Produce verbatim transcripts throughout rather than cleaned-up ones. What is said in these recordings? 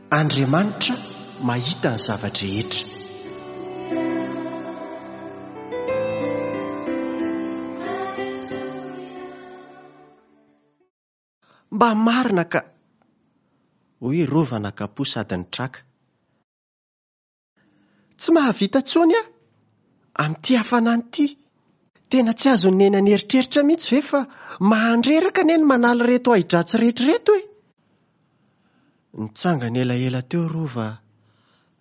Andriamanitra mahita ny zava-drehetra. Mba marina ka! Hoy Rova nakapo sady nitraka. Tsy mahavita intsony aho amin'ity hafanana ity. Tena tsy azon'i Neny an'eritreritra mihitsy ve fa mahandreraka anie ny manala ireto ahi-dratsy rehetra ireto e? Nitsangana elaela teo Rova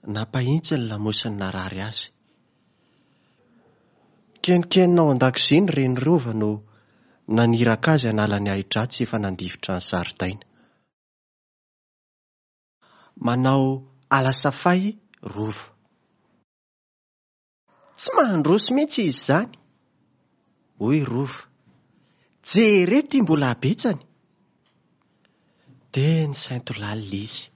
nampahitsy ny lamosiny narary azy. Kenikenina ao an-dakozia ny reny Rova no naniraka azy hanala ny ahi-dratsy efa nandifotra ny zaridaina. Manao alasafay Rova. Tsy mandroso mihitsy izy izany, hoy Rova. Jereo ity mbola habetsany. Dia nisainto lalina izy.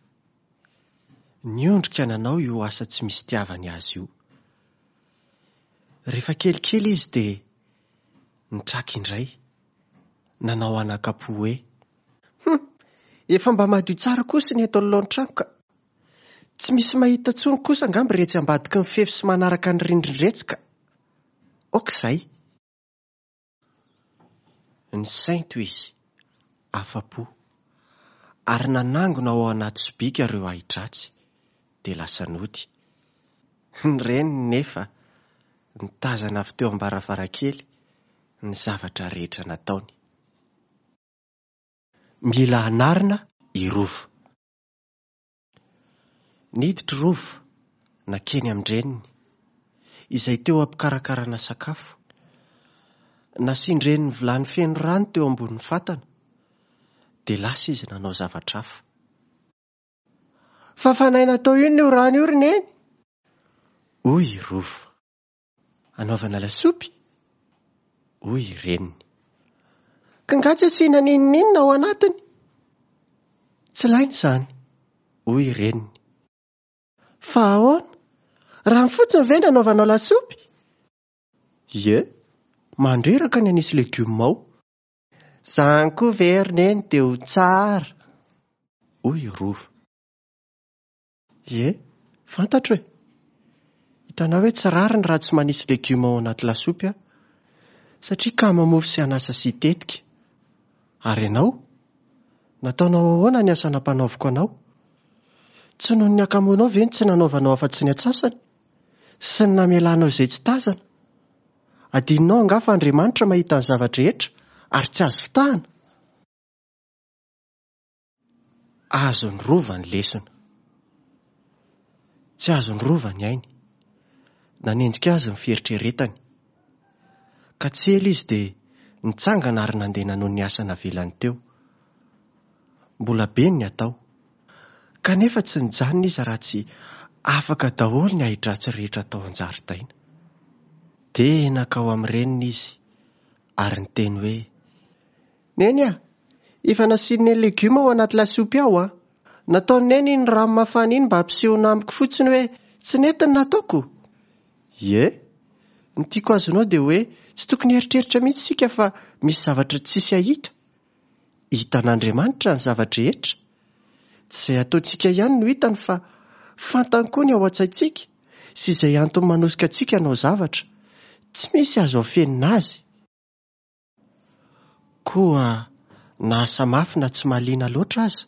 Niondrika nanao io asa tsy misy itiavany azy io. Rehefa kelikely izy dia nitraka indray, nanao anakapo hoe: Hum, efa mba madio tsara kosa ny eto anoloan'ny trano ka. Tsy misy mahita intsony kosa angamba iretsy ambadiky ny fefy sy manaraka ny rindrin-dretsy ka. Aoka izay. Nisainto izy, afa-po, ary nanangona ao anaty sobika ireo ahi-dratsy, dia lasa nody. Ny reniny nefa nitazana avy teo am-baravarankely ny zavatra rehetra nataony. Mila anarina i Rova. Niditra Rova nankeny amin-dreniny, izay teo am-pikarakarana sakafo. Nasian-dreniny vilany feno rano teo ambonin'ny fatana, dia lasa izy nanao zavatra hafa. Fafanaina atao inona io rano io ry Neny? Hoy i Rova. Anaovana lasopy? Hoy i reniny. Ka angaha tsy asiana n'inon'inona ao anatiny? Tsy ilaina izany, hoy i reniny. Fa ahoana? Rano fotsiny ve no anaovanao lasopy? Ie, mandreraka ny hanisy legioma ao. Izany koa ve ry Neny dia ho tsara? Hoy i Rova. Ie, fantatro e. Hitanao hoe tsy rariny raha tsy manisy legioma ao anaty lasopy aho, satria kamo mofo sy anasa sy tetika. Ary ianao? Nataonao ahoana ny asa nampanaoviko anao? Tsy noho ny hakamoanao ve no tsy nanaovanao afa-tsy ny antsasany? Sy ny namelanao izay tsy tazana? Adinonao angaha fa Andriamanitra mahita ny zava-drehetra ary tsy azo fitahana? Azon'ny Rova ny lesona. Tsy azon'ny Rova ny ainy. Nanenjika azy ny fieritreretany. Ka tsy ela izy dia nitsangana ary nandeha nanao ny asa navelany teo. Mbola be ny atao. Kanefa tsy nijanona izy raha tsy afaka daholo ny ahi-dratsy rehetra tao an-jaridaina. Dia nankao amin'ny reniny izy ary niteny hoe: Neny a, efa nasian'i Neny legioma ao anaty lasopy ao a. Nataon'i Neny iny rano mafana iny mba hampisehoana amiko fotsiny hoe tsy nety ny nataoko. Ie, ny tiako azonao dia hoe tsy tokony hieritreritra mihitsy isika fa misy zavatra tsisy hahita. Hitan'Andriamanitra ny zava-drehetra. Tsy izay ataontsika ihany no hitany fa fantany koa ny ao an-tsaintsika sy izay antony manosika antsika hanao zavatra. Tsy misy azo afenina azy. Koa na asa mafy na tsy mahaliana loatra aza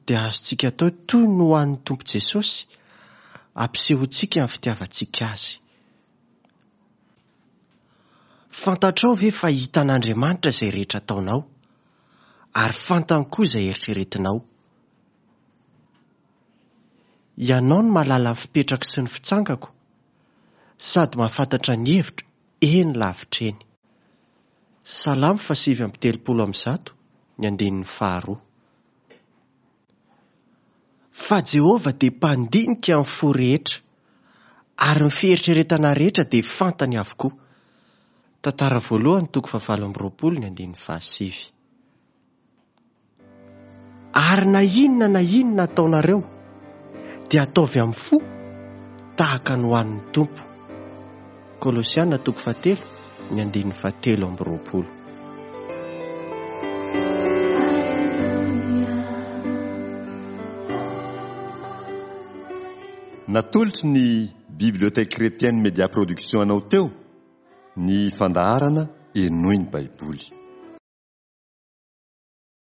dia azontsika atao toy ny ho an'ny Tompo Jesosy, ampisehoantsika ny fitiavantsika azy. Fantatrao ve fa hitan'Andriamanitra izay rehetra ataonao, ary fantany koa izay eritreretinao? Ianao no mahalala ny fipetrako sy ny fitsangako, sady mahafantatra ny hevitro eny lavitra eny. Salamo fahasivy amby telopolo amby zato, ny andininy faharoa. Fa Jehovah dia mpandinika ny fo rehetra, ary ny fieritreretana rehetra dia fantany avokoa. Tantara voalohany toko fahavalo amby roapolo ny andininy fahasivy. Ary na inona na inona ataonareo dia ataovy amin'ny fo tahaka ny ho an'ny Tompo. Kolosiana toko fahatelo ny andininy fahatelo amby roapolo. Natolotry ny Bibliothèque Chrétienne Média Production anao teo ny fandaharana Henoy ny Baiboly.